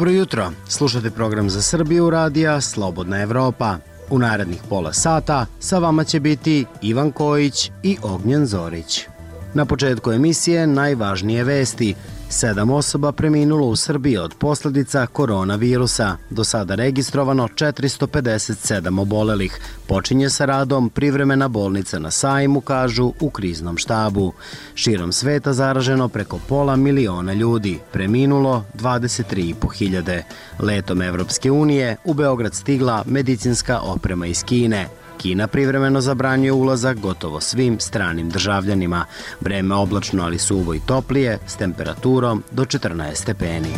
Dobro jutro, slušate program za Srbiju radija Slobodna Evropa. U narednih pola sata sa vama će biti Ivan Kojić i Ognjen Zorić. Na početku emisije najvažnije vesti. 7 osoba preminulo u Srbiji od posljedica koronavirusa. Do sada registrovano 457 obolelih. Počinje sa radom privremena bolnica na Sajmu, kažu u kriznom štabu. Širom sveta zaraženo preko 500.000 ljudi. Preminulo 23.500. Letom Evropske unije u Beograd stigla medicinska oprema iz Kine. Kina privremeno zabranjuje ulazak gotovo svim stranim državljanima. Vreme oblačno, ali suvo i toplije, s temperaturom do 14 stepeni.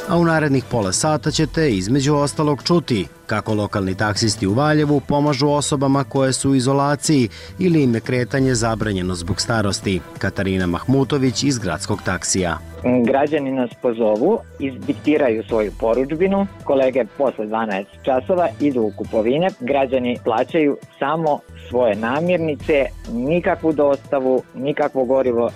A u narednih pola sata ćete između ostalog čuti kako lokalni taksisti u Valjevu pomažu osobama koje su u izolaciji ili im je kretanje zabranjeno zbog starosti. Katarina Mahmutović iz gradskog taksija. Građani nas pozovu, izdiktiraju svoju porudžbinu, kolege posle 12 časova idu u kupovine, građani plaćaju samo svoje namirnice, nikakvu dostavu, nikakvo gorivo,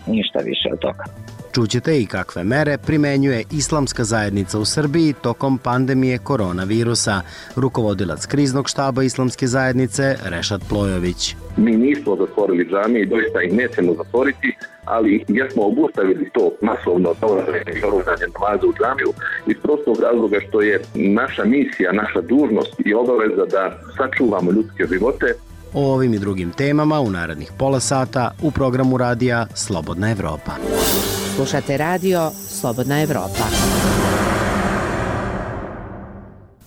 ništa više od toga. Čućete i kakve mere primenjuje islamska zajednica u Srbiji tokom pandemije koronavirusa. Rukovodilac kriznog štaba islamske zajednice Rešad Plojović. Mi nismo zatvorili džamije i doista ih nećemo zatvoriti, ali jesmo obustavili to masovno dolazanje i oružanje namaza u džamiju iz prostog razloga što je naša misija, naša dužnost i obaveza da sačuvamo ljudske živote. O ovim i drugim temama u narednih pola sata u programu radija Slobodna Evropa. Slušate radio Slobodna Evropa.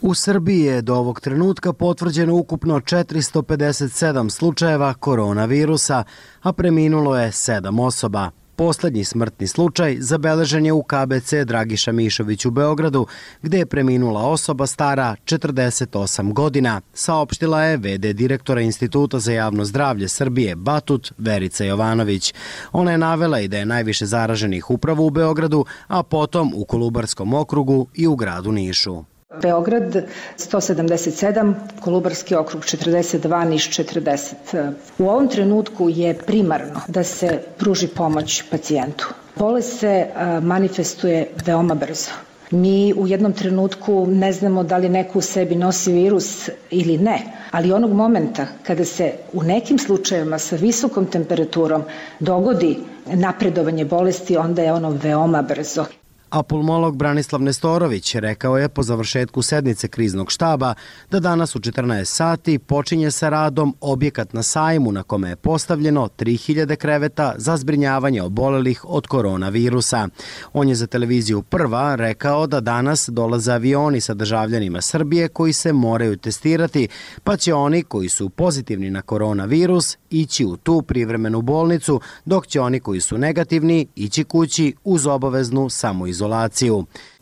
U Srbiji je do ovog trenutka potvrđeno ukupno 457 slučajeva koronavirusa, a preminulo je 7 osoba. Poslednji smrtni slučaj zabeležen je u KBC Dragiša Mišović u Beogradu, gde je preminula osoba stara 48 godina, saopštila je v.d. direktora Instituta za javno zdravlje Srbije Batut Verica Jovanović. Ona je navela i da je najviše zaraženih upravo u Beogradu, a potom u Kolubarskom okrugu i u gradu Nišu. Beograd 177, Kolubarski okrug 42, Niš 40. U ovom trenutku je primarno da se pruži pomoć pacijentu. Bolest se manifestuje veoma brzo. Mi u jednom trenutku ne znamo da li neko u sebi nosi virus ili ne, ali onog momenta kada se u nekim slučajevima sa visokom temperaturom dogodi napredovanje bolesti, onda je ono veoma brzo. A pulmolog Branislav Nestorović rekao je po završetku sednice kriznog štaba da danas u 14 sati počinje sa radom objekat na Sajmu na kome je postavljeno 3000 kreveta za zbrinjavanje obolelih od koronavirusa. On je za televiziju Prva rekao da danas dolaze avioni sa državljanima Srbije koji se moraju testirati, pa će oni koji su pozitivni na koronavirus ići u tu privremenu bolnicu, dok će oni koji su negativni ići kući uz obaveznu samoizolaciju.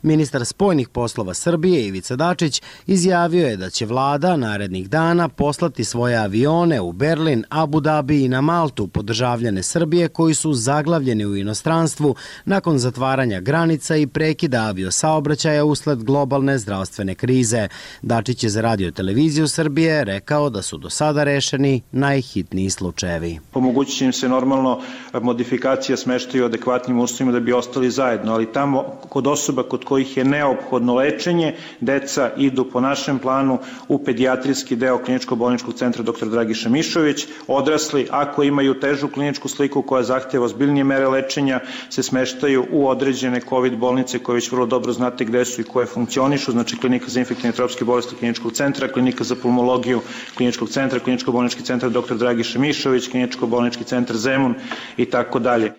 Ministar spoljnih poslova Srbije Ivica Dačić izjavio je da će vlada narednih dana poslati svoje avione u Berlin, Abu Dhabi i na Maltu po državljane Srbije koji su zaglavljeni u inostranstvu nakon zatvaranja granica i prekida aviosaobraćaja usled globalne zdravstvene krize. Dačić je za Radio televiziju Srbije rekao da su do sada rešeni najhitniji slučajevi. Omogućit će im se normalno modifikacija smeštaja u adekvatnim uslovima da bi ostali zajedno, ali tamo kod osoba kod kojih je neophodno lečenje, deca idu po našem planu u pedijatrijski deo kliničko-bolničkog centra dr. Dragiša Mišović. Odrasli, ako imaju težu kliničku sliku koja zahteva ozbiljnije mere lečenja, se smeštaju u određene COVID bolnice koje već vrlo dobro znate gde su i koje funkcionišu, znači klinika za infektivne i tropske bolesti kliničkog centra, klinika za pulmologiju kliničkog centra, kliničko-bolnički centar dr. Dragiša Mišović, kliničko-bolnički centar Zemun i tako dalje.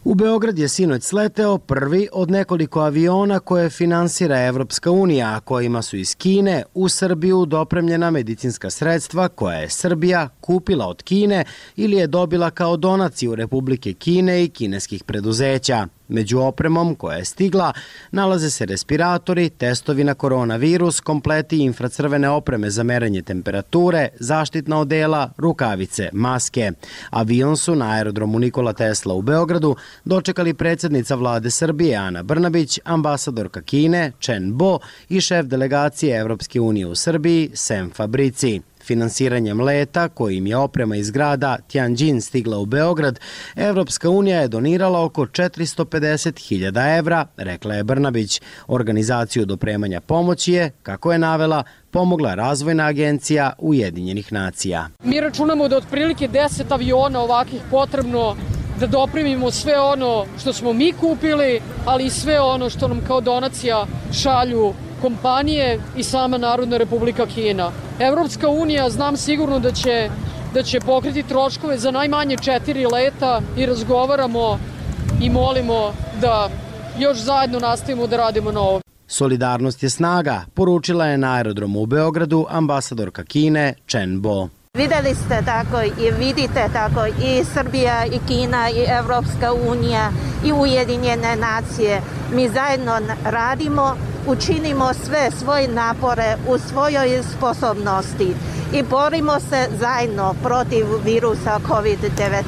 U Beograd je sinoć sleteo prvi od nekoliko aviona koje finansira Evropska unija, a kojima su iz Kine u Srbiju dopremljena medicinska sredstva koja je Srbija kupila od Kine ili je dobila kao donaciju Republike Kine i kineskih preduzeća. Među opremom koja je stigla nalaze se respiratori, testovi na koronavirus, kompleti infracrvene opreme za merenje temperature, zaštitna odela, rukavice, maske. Avion su na aerodromu Nikola Tesla u Beogradu dočekali predsjednica vlade Srbije Ana Brnabić, ambasadorka Kine Chen Bo i šef delegacije Evropske unije u Srbiji Sem Fabrici. Finansiranjem leta, kojim je oprema iz grada Tianjin stigla u Beograd, Evropska unija je donirala oko 450.000 evra, rekla je Brnabić. Organizaciju dopremanja pomoći je, kako je navela, pomogla Razvojna agencija Ujedinjenih nacija. Mi računamo da otprilike 10 aviona ovakvih potrebno da dopremimo sve ono što smo mi kupili, ali i sve ono što nam kao donacija šalju kompanije i sama Narodna Republika Kina. Evropska unija, znam sigurno da će pokriti troškove za najmanje 4 leta i razgovaramo i molimo da još zajedno nastavimo da radimo na ovo. Solidarnost je snaga, poručila je na aerodromu u Beogradu ambasadorka Kine Chen Bo. Videli ste tako i vidite tako i Srbija i Kina i Evropska unija i Ujedinjene nacije. Mi zajedno radimo, učinimo sve svoje napore u svojoj sposobnosti i borimo se zajedno protiv virusa COVID-19.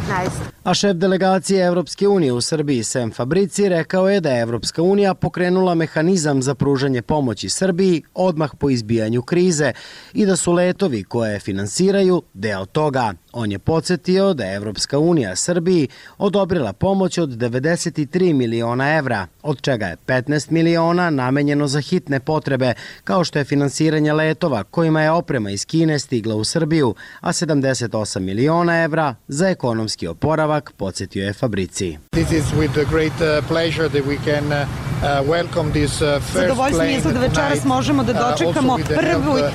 A šef delegacije Evropske unije u Srbiji Sem Fabrici rekao je da je Evropska unija pokrenula mehanizam za pružanje pomoći Srbiji odmah po izbijanju krize i da su letovi koje finansiraju deo toga. On je podsjetio da je Evropska unija Srbiji odobrila pomoć od 93 miliona evra, od čega je 15 miliona namenjeno za hitne potrebe, kao što je finansiranje letova kojima je oprema iz Kine stigla u Srbiju, a 78 miliona evra za ekonomski oporavak, podsjetio je Fabrici. Zadovoljstvo je da večeras možemo da dočekamo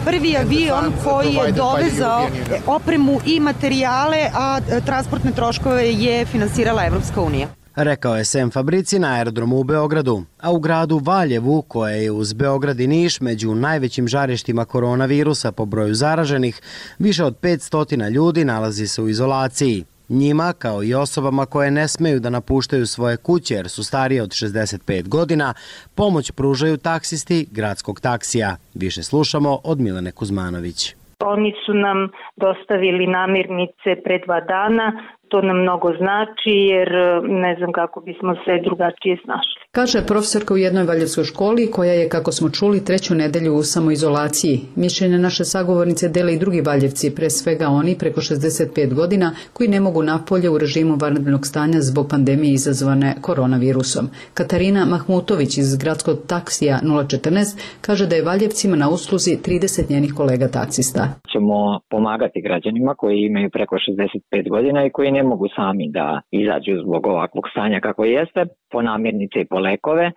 prvi avion koji je dovezao opremu i materijale, a transportne troškove je finansirala Evropska unija. Rekao je Sem Fabrici na aerodromu u Beogradu, a u gradu Valjevu, koje je uz Beograd i Niš među najvećim žarištima koronavirusa po broju zaraženih, više od 500 ljudi nalazi se u izolaciji. Njima, kao i osobama koje ne smeju da napuštaju svoje kuće jer su starije od 65 godina, pomoć pružaju taksisti gradskog taksija. Više slušamo od Milene Kuzmanović. Oni su nam dostavili namirnice pre 2 dana. To nam mnogo znači jer ne znam kako bismo se drugačije snašli. Kaže profesorka u jednoj valjevskoj školi koja je, kako smo čuli, 3. nedelju u samoizolaciji. Mišljenje naše sagovornice dele i drugi valjevci, pre svega oni preko 65 godina koji ne mogu napolje u režimu vanrednog stanja zbog pandemije izazvane koronavirusom. Katarina Mahmutović iz gradskog taksija 014 kaže da je valjevcima na usluzi 30 njenih kolega taksista. Ćemo pomagati građanima koji imaju preko 65 godina i koji ne mogu sami da izađu zbog ovakvog stanja kako jeste, po namirnice i po lekove.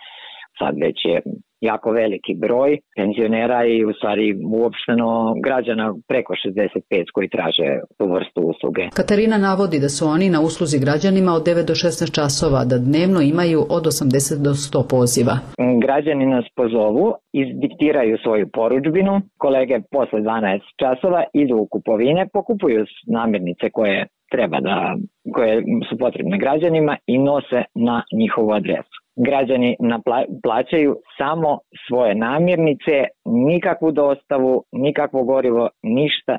Sad već je jako veliki broj penzionera i u stvari uopšteno građana preko 65 koji traže tu vrstu usluge. Katarina navodi da su oni na usluzi građanima od 9 do 16 časova, da dnevno imaju od 80 do 100 poziva. Građani nas pozovu, izdiktiraju svoju porudžbinu, kolege posle 12 časova idu u kupovine, pokupuju namirnice koje su potrebne građanima i nose na njihovu adresu. Građani plaćaju samo svoje namirnice, nikakvu dostavu, nikakvo gorivo,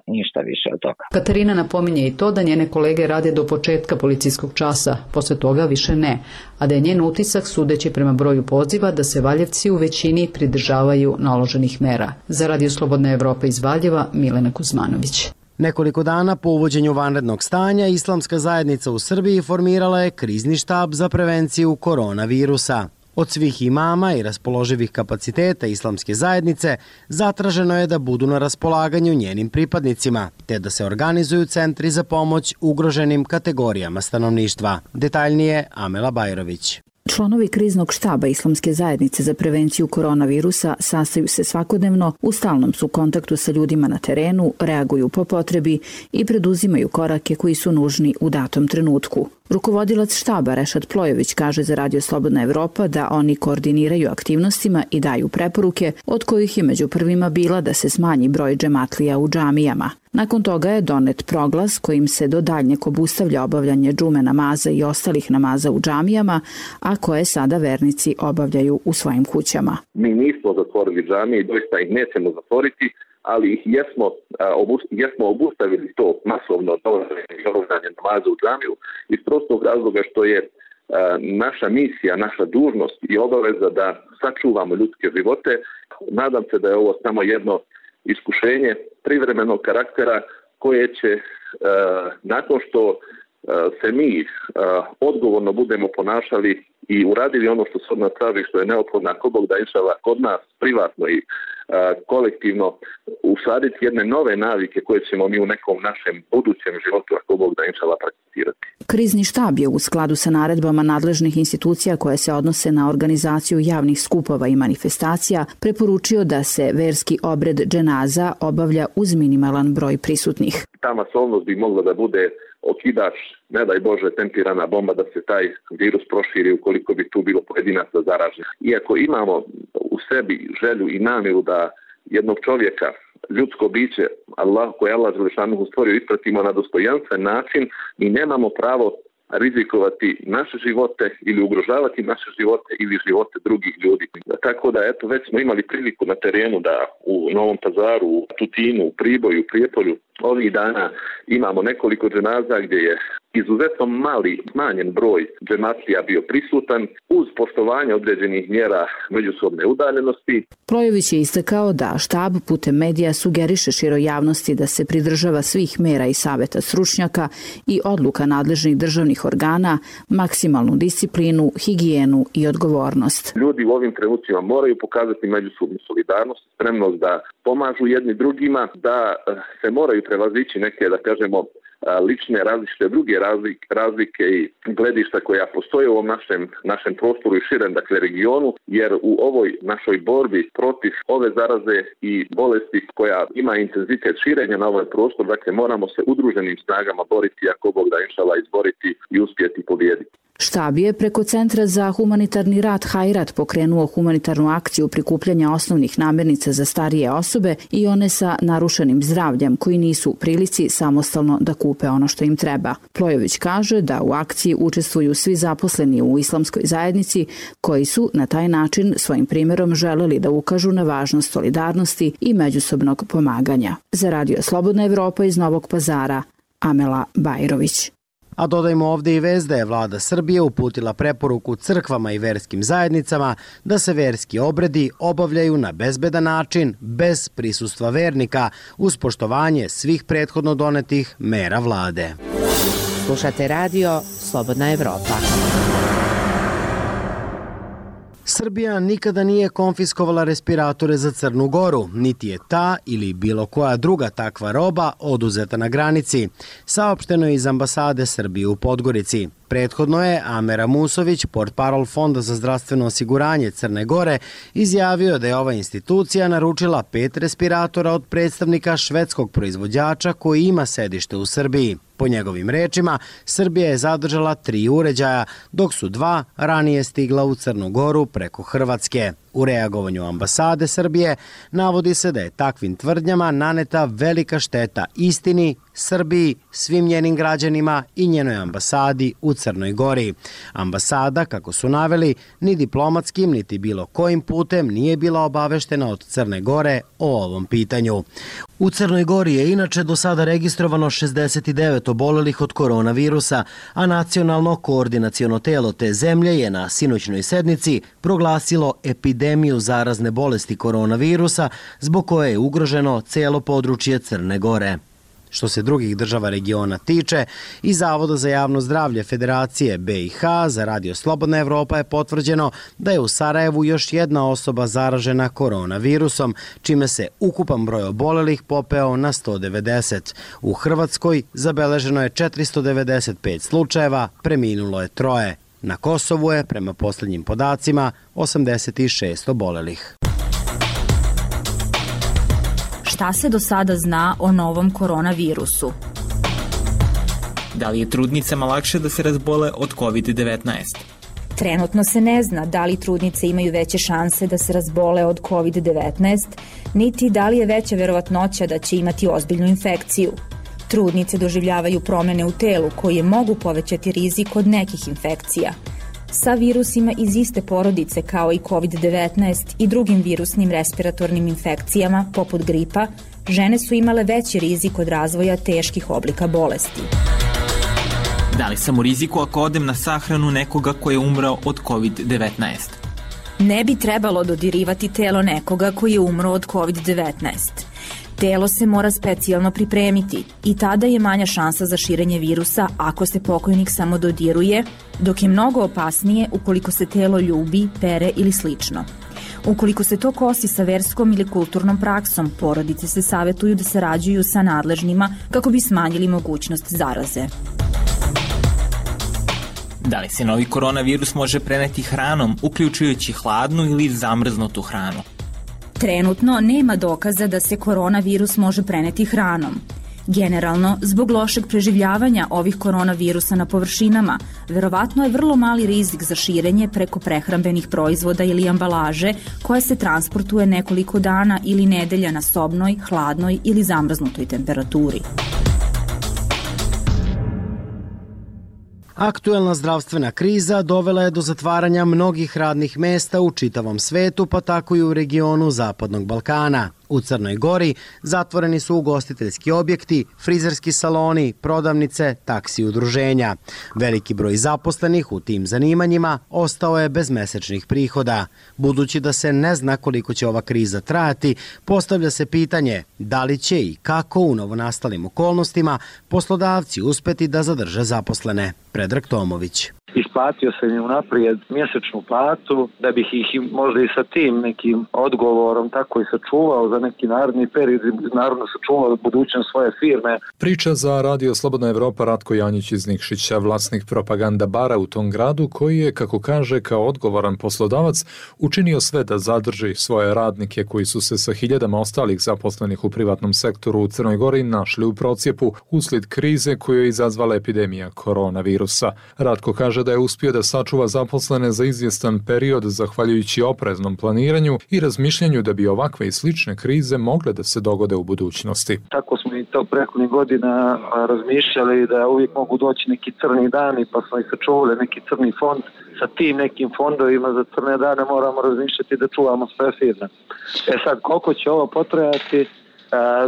ništa više od toga. Katarina napominje i to da njene kolege rade do početka policijskog časa, posle toga više ne, a da je njen utisak, sudeći prema broju poziva, da se Valjevci u većini pridržavaju naloženih mera. Za Radio Slobodna Evropa iz Valjeva, Milena Kuzmanović. Nekoliko dana po uvođenju vanrednog stanja, Islamska zajednica u Srbiji formirala je krizni štab za prevenciju koronavirusa. Od svih imama i raspoloživih kapaciteta Islamske zajednice zatraženo je da budu na raspolaganju njenim pripadnicima, te da se organizuju centri za pomoć ugroženim kategorijama stanovništva. Detaljnije Amela Bajrović. Članovi kriznog štaba Islamske zajednice za prevenciju koronavirusa sastaju se svakodnevno, u stalnom su kontaktu sa ljudima na terenu, reaguju po potrebi i preduzimaju korake koji su nužni u datom trenutku. Rukovodilac štaba Rešad Plojević kaže za Radio Slobodna Evropa da oni koordiniraju aktivnostima i daju preporuke, od kojih je među prvima bila da se smanji broj džematlija u džamijama. Nakon toga je donet proglas kojim se do daljnjeg obustavlja obavljanje džume namaza i ostalih namaza u džamijama, a koje sada vernici obavljaju u svojim kućama. Mi nismo zatvorili džamije i doista ih nećemo zatvoriti, ali ih jesmo obustavili to masovno obavljanje namaza u džamiju iz prostog razloga što je naša misija, naša dužnost i obaveza da sačuvamo ljudske živote. Nadam se da je ovo samo jedno iskušenje privremenog karaktera koje će nakon što se mi odgovorno budemo ponašali i uradili ono što se od nas traži, što je neophodno, ako Bog da inšala kod nas privatno i kolektivno usaditi jedne nove navike koje ćemo mi u nekom našem budućem životu, ako Bog da inšala, prakticirati. Krizni štab je u skladu sa naredbama nadležnih institucija koje se odnose na organizaciju javnih skupova i manifestacija preporučio da se verski obred dženaza obavlja uz minimalan broj prisutnih. Ta masovnost bi mogla da bude okidač, ne daj Bože, tempirana bomba da se taj virus proširi ukoliko bi tu bilo pojedinaca zaraženih. Iako imamo u sebi želju i namjeru da jednog čovjeka, ljudsko biće, koje je Allah Đelešanuhu stvorio, ispratimo na dostojanstven način, mi nemamo pravo rizikovati naše živote ili ugrožavati naše živote ili živote drugih ljudi. Tako da, eto, već smo imali priliku na terenu da u Novom Pazaru, u Tutinu, u Priboju, u Prijepolju ovih dana imamo nekoliko dženaza gdje je izuzetno mali, smanjen broj džematlija bio prisutan uz poštovanje određenih mjera međusobne udaljenosti. Plojović je istakao da štab putem medija sugeriše široj javnosti da se pridržava svih mera i saveta stručnjaka i odluka nadležnih državnih organa, maksimalnu disciplinu, higijenu i odgovornost. Ljudi u ovim trenucima moraju pokazati međusobnu solidarnost, spremnost da pomažu jedni drugima, da se moraju prevazići neke, da kažemo, lične različite druge razlike i gledišta koja postoje u ovom našem prostoru i širem, dakle, regionu, jer u ovoj našoj borbi protiv ove zaraze i bolesti koja ima intenzitet širenja na ovaj prostor, dakle, moramo se udruženim snagama boriti, ako Bog da inšala, izboriti i uspjeti pobijediti. Štab je preko Centra za humanitarni rad Hajrat pokrenuo humanitarnu akciju prikupljanja osnovnih namirnica za starije osobe i one sa narušenim zdravljem koji nisu u prilici samostalno da kupe ono što im treba. Plojović kaže da u akciji učestvuju svi zaposleni u islamskoj zajednici koji su na taj način svojim primjerom želeli da ukažu na važnost solidarnosti i međusobnog pomaganja. Za Radio Slobodna Evropa iz Novog Pazara, Amela Bajrović. A dodajmo ovdje i vest da je vlada Srbije uputila preporuku crkvama i verskim zajednicama da se verski obredi obavljaju na bezbedan način, bez prisustva vernika, uz poštovanje svih prethodno donetih mera vlade. Slušate radio Slobodna Evropa. Srbija nikada nije konfiskovala respiratore za Crnu Goru, niti je ta ili bilo koja druga takva roba oduzeta na granici, saopšteno je iz ambasade Srbije u Podgorici. Prethodno je Amera Musović, portparol Fonda za zdravstveno osiguranje Crne Gore, izjavio da je ova institucija naručila 5 respiratora od predstavnika švedskog proizvođača koji ima sedište u Srbiji. Po njegovim rečima, Srbija je zadržala 3 uređaja, dok su 2 ranije stigla u Crnu Goru preko Hrvatske. U reagovanju ambasade Srbije navodi se da je takvim tvrdnjama naneta velika šteta istini, Srbiji, svim njenim građanima i njenoj ambasadi u Crnoj Gori. Ambasada, kako su naveli, ni diplomatskim, niti bilo kojim putem nije bila obaveštena od Crne Gore o ovom pitanju. U Crnoj Gori je inače do sada registrovano 69 obolelih od koronavirusa, a nacionalno koordinaciono telo te zemlje je na sinoćnoj sednici proglasilo epidemiju zarazne bolesti koronavirusa, zbog koje je ugroženo celo područje Crne Gore. Što se drugih država regiona tiče, iz Zavoda za javno zdravlje Federacije BiH za Radio Slobodna Evropa je potvrđeno da je u Sarajevu još jedna osoba zaražena koronavirusom, čime se ukupan broj obolelih popeo na 190. U Hrvatskoj zabeleženo je 495 slučajeva, preminulo je 3. Na Kosovu je, prema posljednjim podacima, 86 obolelih. Šta se do sada zna o novom koronavirusu? Da li je trudnicama lakše da se razbole od COVID-19? Trenutno se ne zna da li trudnice imaju veće šanse da se razbole od COVID-19, niti da li je veća verovatnoća da će imati ozbiljnu infekciju. Trudnice doživljavaju promjene u telu koje mogu povećati rizik od nekih infekcija. Sa virusima iz iste porodice kao i COVID-19 i drugim virusnim respiratornim infekcijama, poput gripa, žene su imale veći rizik od razvoja teških oblika bolesti. Da li sam u riziku ako odem na sahranu nekoga koji je umrao od COVID-19? Ne bi trebalo dodirivati telo nekoga koji je umro od COVID-19. Telo se mora specijalno pripremiti i tada je manja šansa za širenje virusa ako se pokojnik samo dodiruje, dok je mnogo opasnije ukoliko se telo ljubi, pere ili slično. Ukoliko se to kosi sa verskom ili kulturnom praksom, porodice se savetuju da sarađuju sa nadležnima kako bi smanjili mogućnost zaraze. Da li se novi koronavirus može preneti hranom, uključujući hladnu ili zamrznutu hranu? Trenutno nema dokaza da se koronavirus može preneti hranom. Generalno, zbog lošeg preživljavanja ovih koronavirusa na površinama, verovatno je vrlo mali rizik za širenje preko prehrambenih proizvoda ili ambalaže koja se transportuje nekoliko dana ili nedelja na sobnoj, hladnoj ili zamrznutoj temperaturi. Aktuelna zdravstvena kriza dovela je do zatvaranja mnogih radnih mesta u čitavom svetu, pa tako i u regionu Zapadnog Balkana. U Crnoj Gori zatvoreni su ugostiteljski objekti, frizerski saloni, prodavnice, taksi udruženja. Veliki broj zaposlenih u tim zanimanjima ostao je bez mesečnih prihoda. Budući da se ne zna koliko će ova kriza trajati, postavlja se pitanje da li će i kako u novonastalim okolnostima poslodavci uspeti da zadrže zaposlene. Predrag Tomović. Isplatio sam im unaprijed mjesečnu platu da bih ih možda i sa tim nekim odgovorom tako i sačuvao za neki naredni period, naravno sačuvao budućnost svoje firme. Priča za Radio Slobodna Evropa Ratko Janjić iz Nikšića, vlasnik propaganda bara u tom gradu, koji je, kako kaže, kao odgovoran poslodavac učinio sve da zadrži svoje radnike koji su se sa hiljadama ostalih zaposlenih u privatnom sektoru u Crnoj Gori našli u procjepu uslijed krize koju je izazvala epidemija koronavirusa. Ratko kaže da je uspio da sačuva zaposlene za izvjestan period zahvaljujući opreznom planiranju i razmišljanju da bi ovakve i slične krize mogle da se dogode u budućnosti. Tako smo i to prethodnih godina razmišljali da uvijek mogu doći neki crni dani, pa smo i sačuvali neki crni fond. Sa tim nekim fondovima za crne dane moramo razmišljati da čuvamo sve firme. Sad, koliko će ovo potrajati,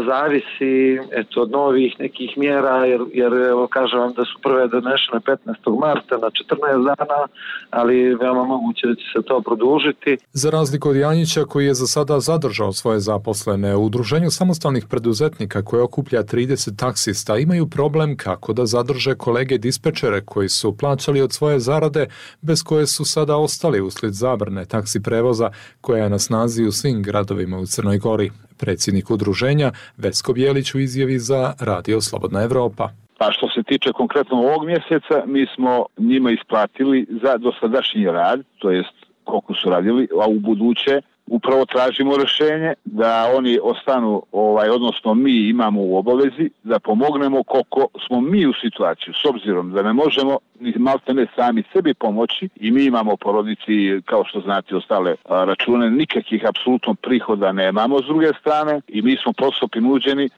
zavisi od novih nekih mjera, jer evo kažem vam da su prve donešene 15. marta na 14 dana, ali veoma moguće da će se to produžiti. Za razliku od Janjića, koji je za sada zadržao svoje zaposlene, u Udruženju samostalnih preduzetnika koje okuplja 30 taksista imaju problem kako da zadrže kolege dispečere koji su plaćali od svoje zarade, bez koje su sada ostali uslijed zabrane taksi prevoza koja je na snazi u svim gradovima u Crnoj Gori. Predsjednik udruženja Vesko Bjelić u izjavi za Radio Slobodna Evropa. Pa što se tiče konkretno ovog mjeseca, mi smo njima isplatili za dosadašnji rad, to jest koliko su radili, a u buduće upravo tražimo rješenje da oni ostanu, odnosno mi imamo u obavezi da pomognemo koliko smo mi u situaciju, s obzirom da ne možemo ni maltene sami sebi pomoći i mi imamo porodici, kao što znate, ostale račune, nikakvih apsolutno prihoda nemamo s druge strane i mi smo prosto prinuđeni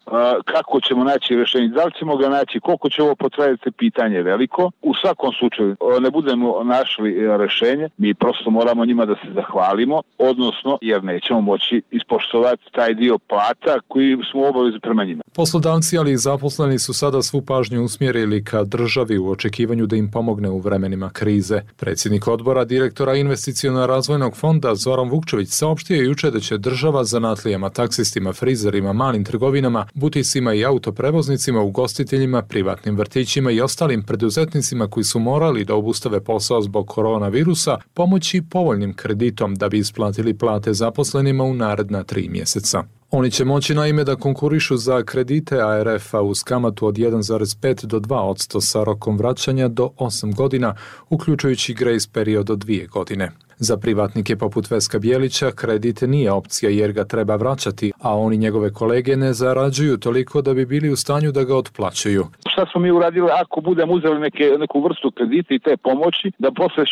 kako ćemo naći rješenje, da li ćemo ga naći, koliko će ovo potrajati, pitanje veliko. U svakom slučaju ne budemo našli rješenje, mi prosto moramo njima da se zahvalimo, odnosno jer nećemo moći ispoštovati taj dio plata koji smo u obavezi prema njima. Poslodavci, ali i zaposleni su sada svu pažnju usmjerili ka državi u očekivanju da im pomogne u vremenima krize. Predsjednik odbora direktora Investiciono-razvojnog fonda Zoran Vukčević saopštio je juče da će država zanatlijama, taksistima, frizerima, malim trgovinama, buticima i autoprevoznicima, ugostiteljima, privatnim vrtićima i ostalim preduzetnicima koji su morali da obustave posao zbog koronavirusa pomoći povoljnim kreditom da bi isplatili plate zaposlenima u naredna 3 mjeseca. Oni će moći naime da konkurišu za kredite ARF-a uz kamatu od 1,5 do 2% sa rokom vraćanja do 8 godina, uključujući grace period od 2 godine. Za privatnike poput Veska Bjelića kredit nije opcija jer ga treba vraćati, a oni njegove kolege ne zarađuju toliko da bi bili u stanju da ga otplaćuju. Šta smo mi uradili ako budemo uzeli neku vrstu kredita i te pomoći, da posle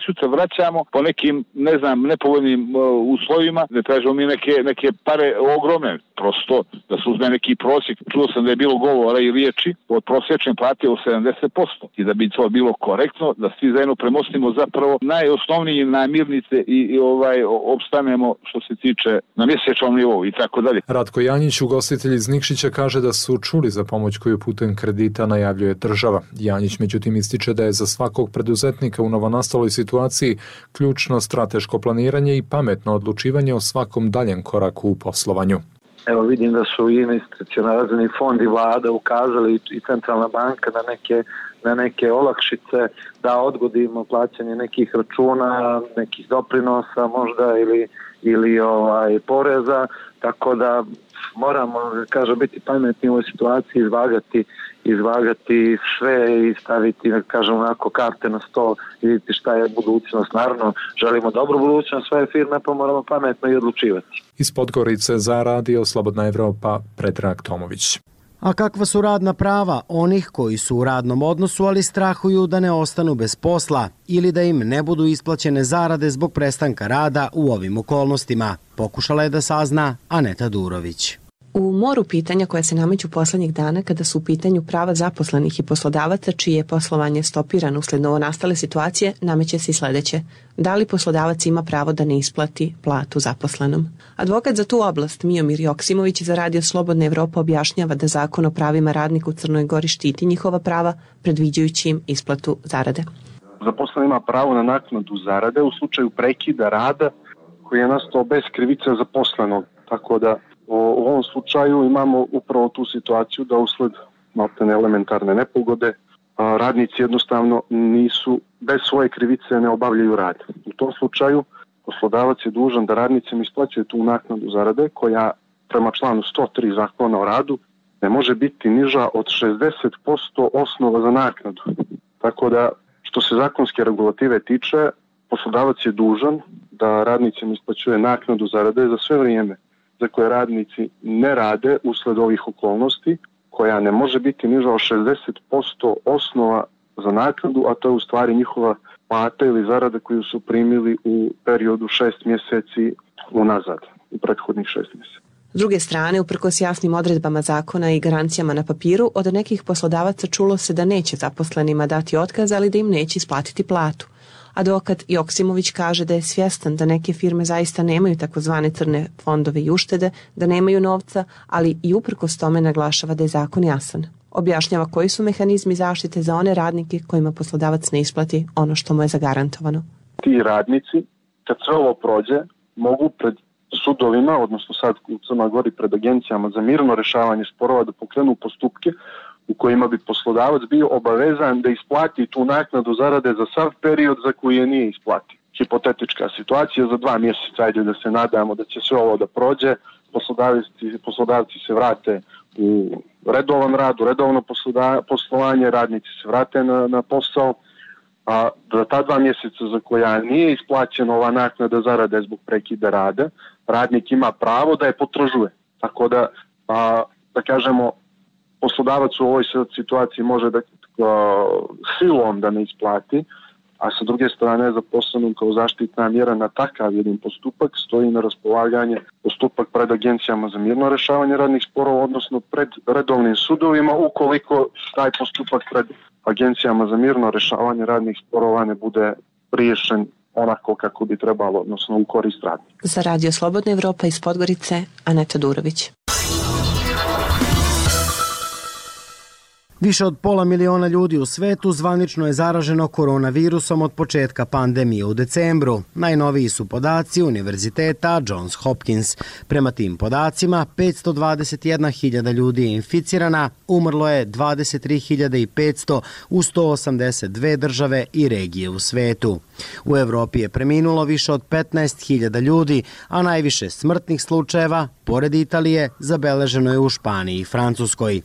sutra vraćamo po nekim, nepovoljnim uslovima, da tražimo mi neke pare ogromne, prosto da se uzme neki prosjek. Čuo sam da je bilo govora i riječi od prosječne plate od 70% i da bi to bilo korektno, da svi zajedno premostimo zapravo najosnovnije namirnice i opstanemo što se tiče na mjesečnom nivou i tako dalje. Ratko Janjić, ugostitelj iz Nikšića, kaže da su čuli za pomoć koju putem kredita najavljuje država. Janjić međutim ističe da je za svakog preduzetnika u novonastaloj situaciji ključno strateško planiranje i pametno odlučivanje o svakom daljem koraku u poslovanju. Evo vidim da su i institucionalni fond i vlada ukazali i centralna banka na neke olakšice, da odgodimo plaćanje nekih računa, nekih doprinosa možda ili poreza, tako da moramo, kažem, biti pametni u ovoj situaciji, izvagati sve i staviti, kažem, onako karte na sto i vidjeti šta je budućnost. Naravno, želimo dobru budućnost svoje firme, pa moramo pametno i odlučivati. Iz Podgorice za Radio Slobodna Evropa, Predrag Tomović. A kakva su radna prava onih koji su u radnom odnosu, ali strahuju da ne ostanu bez posla ili da im ne budu isplaćene zarade zbog prestanka rada u ovim okolnostima? Pokušala je da sazna Aneta Durović. U moru pitanja koja se nameću poslednjih dana kada su u pitanju prava zaposlenih i poslodavaca čije je poslovanje stopirano usled novonastale situacije, nameće se i sledeće. Da li poslodavac ima pravo da ne isplati platu zaposlenom? Advokat za tu oblast Miomir Joksimović za Radio Slobodna Evropa objašnjava da Zakon o pravima radnika u Crnoj Gori štiti njihova prava, predviđajući im isplatu zarade. Zaposleni ima pravo na naknadu zarade u slučaju prekida rada koji je nastao bez krivice zaposlenog, tako da u ovom slučaju imamo upravo tu situaciju da usled maltene elementarne nepogode radnici jednostavno nisu, bez svoje krivice ne obavljaju rad. U tom slučaju poslodavac je dužan da radnicima isplaćuje tu naknadu zarade koja prema članu 103 Zakona o radu ne može biti niža od 60% osnova za naknadu. Tako da što se zakonske regulative tiče, poslodavac je dužan da radnicima isplaćuje naknadu zarade za sve vrijeme za koje radnici ne rade usled ovih okolnosti, koja ne može biti niža od 60% osnova za naknadu, a to je u stvari njihova plata ili zarada koju su primili u periodu 6 mjeseci unazad, u prethodnih 6 mjeseci. S druge strane, uprkos jasnim odredbama zakona i garancijama na papiru, od nekih poslodavaca čulo se da neće zaposlenima dati otkaz, ali da im neće isplatiti platu. Advokat Joksimović kaže da je svjestan da neke firme zaista nemaju takozvane crne fondove i uštede, da nemaju novca, ali i uprkos tome naglašava da je zakon jasan. Objašnjava koji su mehanizmi zaštite za one radnike kojima poslodavac ne isplati ono što mu je zagarantovano. Ti radnici, kad sve ovo prođe, mogu pred sudovima, odnosno sad u Crnoj Gori pred agencijama za mirno rešavanje sporova da pokrenu postupke u kojima bi poslodavac bio obavezan da isplati tu naknadu zarade za sav period za koji je nije isplatio. Hipotetička situacija za 2 mjeseca, ajde da se nadamo da će sve ovo da prođe, poslodavci se vrate u redovan rad, u redovno poslovanje, radnici se vrate na posao, a za ta 2 mjeseca za koja nije isplaćena ova naknada zarade zbog prekida rada, radnik ima pravo da je potražuje. Tako da kažemo, poslodavac u ovoj situaciji može da silom da ne isplati, a sa druge strane zaposlenom kao zaštitna mjera na takav jedan postupak stoji na raspolaganje postupak pred agencijama za mirno rešavanje radnih sporova, odnosno pred redovnim sudovima, ukoliko taj postupak pred agencijama za mirno rešavanje radnih sporova ne bude riješen onako kako bi trebalo, odnosno u korist radnika. Za Radio Slobodna Evropa iz Podgorice, Aneta Durović. Više od 500 miliona ljudi u svetu zvanično je zaraženo koronavirusom od početka pandemije u decembru. Najnoviji su podaci Univerziteta Johns Hopkins. Prema tim podacima, 521.000 ljudi je inficirana, umrlo je 23.500 u 182 države i regije u svetu. U Evropi je preminulo više od 15.000 ljudi, a najviše smrtnih slučajeva, pored Italije, zabeleženo je u Španiji i Francuskoj.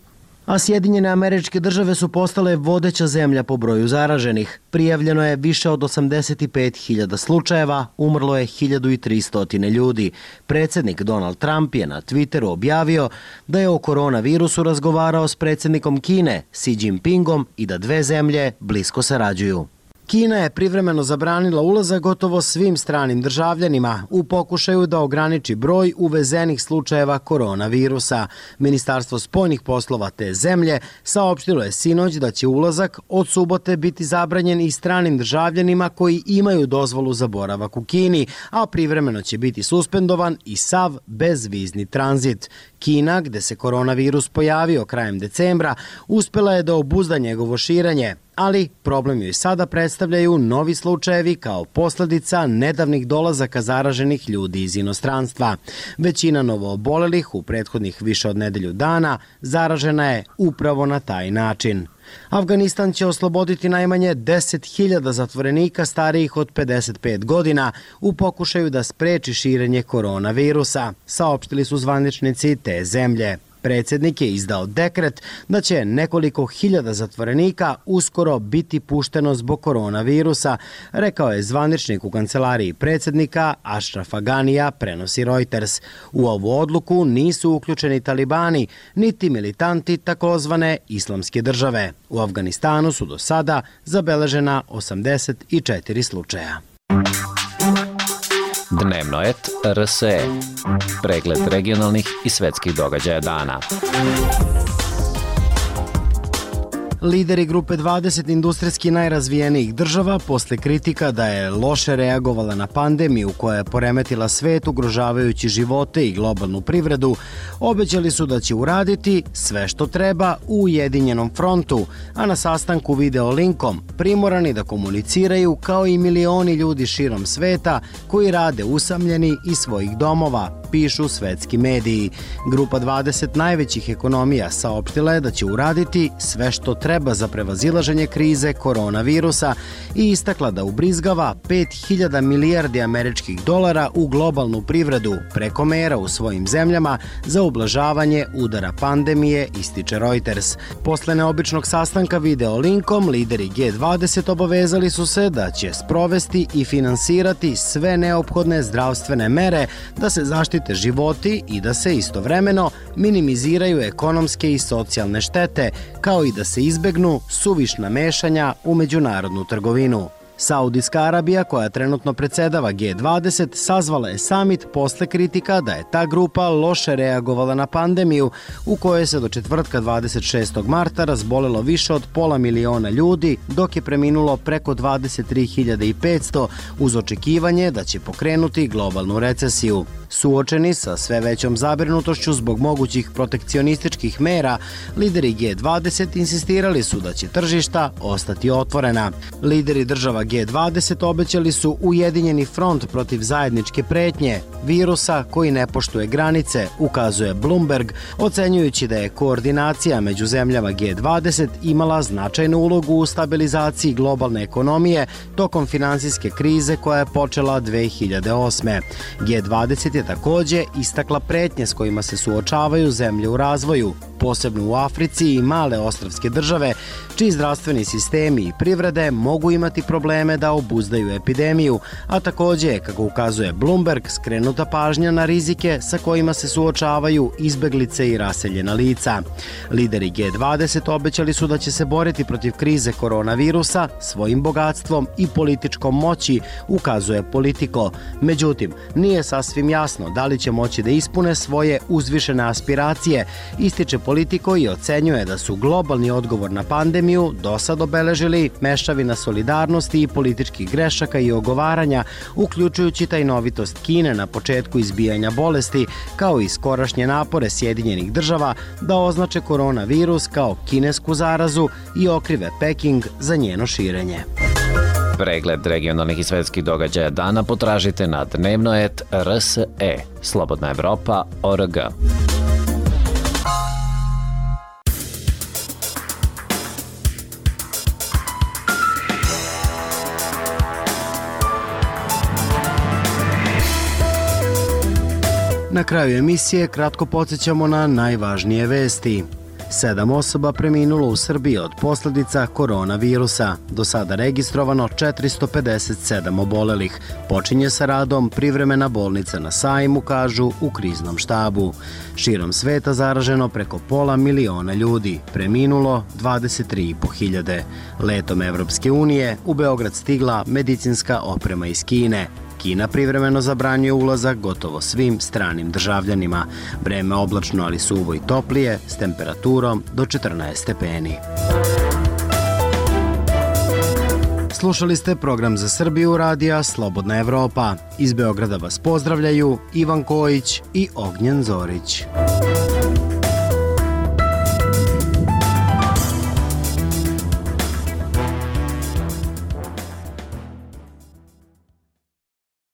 A Sjedinjene Američke Države su postale vodeća zemlja po broju zaraženih. Prijavljeno je više od 85.000 slučajeva, umrlo je 1.300 ljudi. Predsjednik Donald Trump je na Twitteru objavio da je o koronavirusu razgovarao s predsjednikom Kine, Xi Jinpingom, i da dve zemlje blisko sarađuju. Kina je privremeno zabranila ulazak gotovo svim stranim državljanima u pokušaju da ograniči broj uvezenih slučajeva koronavirusa. Ministarstvo spoljnih poslova te zemlje saopštilo je sinoć da će ulazak od subote biti zabranjen i stranim državljanima koji imaju dozvolu za boravak u Kini, a privremeno će biti suspendovan i sav bezvizni tranzit. Kina, gde se koronavirus pojavio krajem decembra, uspela je da obuzda njegovo širenje. Ali problem joj sada predstavljaju novi slučajevi kao posledica nedavnih dolazaka zaraženih ljudi iz inostranstva. Većina novoobolelih u prethodnih više od nedelju dana zaražena je upravo na taj način. Afganistan će osloboditi najmanje 10.000 zatvorenika starijih od 55 godina u pokušaju da spreči širenje koronavirusa, saopštili su zvaničnici te zemlje. Predsjednik je izdao dekret da će nekoliko hiljada zatvorenika uskoro biti pušteno zbog koronavirusa, rekao je zvaničnik u kancelariji predsjednika Ashraf Ganija, prenosi Reuters. U ovu odluku nisu uključeni talibani, niti militanti takozvane islamske države. U Afganistanu su do sada zabeležena 84 slučaja. Dnevno et RSE. Pregled regionalnih i svetskih događaja dana. Lideri grupe 20 industrijski najrazvijenijih država posle kritika da je loše reagovala na pandemiju koja je poremetila svet ugrožavajući živote i globalnu privredu, obećali su da će uraditi sve što treba u Ujedinjenom frontu, a na sastanku video linkom primorani da komuniciraju kao i milioni ljudi širom sveta koji rade usamljeni iz svojih domova, pišu svetski mediji. Grupa 20 najvećih ekonomija saopštila je da će uraditi sve što treba za prevazilaženje krize koronavirusa i istakla da ubrizgava 5.000 milijardi američkih dolara u globalnu privredu preko mera u svojim zemljama za ublažavanje udara pandemije, ističe Reuters. Posle neobičnog sastanka video linkom, lideri G20 obavezali su se da će sprovesti i finansirati sve neophodne zdravstvene mere da se zaštite životi i da se istovremeno minimiziraju ekonomske i socijalne štete, kao i da se izbegnu suvišna mešanja u međunarodnu trgovinu. Saudijska Arabija, koja trenutno predsedava G20, sazvala je samit posle kritika da je ta grupa loše reagovala na pandemiju u kojoj se do četvrtka 26. marta razbolelo više od 500.000 ljudi, dok je preminulo preko 23.500 uz očekivanje da će pokrenuti globalnu recesiju. Suočeni sa sve većom zabrinutošću zbog mogućih protekcionističkih mera, lideri G20 insistirali su da će tržišta ostati otvorena. Lideri država G20 obećali su ujedinjeni front protiv zajedničke pretnje, virusa koji ne poštuje granice, ukazuje Bloomberg, ocenjujući da je koordinacija među zemljama G20 imala značajnu ulogu u stabilizaciji globalne ekonomije tokom finansijske krize koja je počela 2008. G20 je takođe istakla pretnje s kojima se suočavaju zemlje u razvoju, posebno u Africi i male ostrvske države, čiji zdravstveni sistemi i privrede mogu imati probleme da obuzdaju epidemiju, a takođe je, kako ukazuje Bloomberg, skrenuta pažnja na rizike sa kojima se suočavaju izbeglice i raseljena lica. Lideri G20 obećali su da će se boriti protiv krize koronavirusa svojim bogatstvom i političkom moći, ukazuje Politico. Međutim, nije sasvim jasno da li će moći da ispune svoje uzvišene aspiracije, ističe Politico i ocenjuje da su globalni odgovor na pandemiju do sad obeležili mešavina solidarnosti i političkih grešaka i ogovaranja, uključujući tajnovitost Kine na početku izbijanja bolesti, kao i skorašnje napore Sjedinjenih država da označe koronavirus kao kinesku zarazu i okrive Peking za njeno širenje. Pregled regionalnih i svetskih događaja dana potražite na dnevnoet.rse. Slobodna Evropa.org. Na kraju emisije kratko podsjećamo na najvažnije vesti. 7 osoba preminulo u Srbiji od posljedica koronavirusa. Do sada registrovano 457 obolelih. Počinje sa radom privremena bolnica na Sajmu, kažu u kriznom štabu. Širom sveta zaraženo preko 500.000 ljudi, preminulo 23.500. Letom Evropske unije u Beograd stigla medicinska oprema iz Kine. Kina privremeno zabranjuje ulazak gotovo svim stranim državljanima. Vreme oblačno, ali suvo i toplije, s temperaturom do 14 stepeni. Slušali ste program za Srbiju radija Slobodna Evropa. Iz Beograda vas pozdravljaju Ivan Kojić i Ognjen Zorić.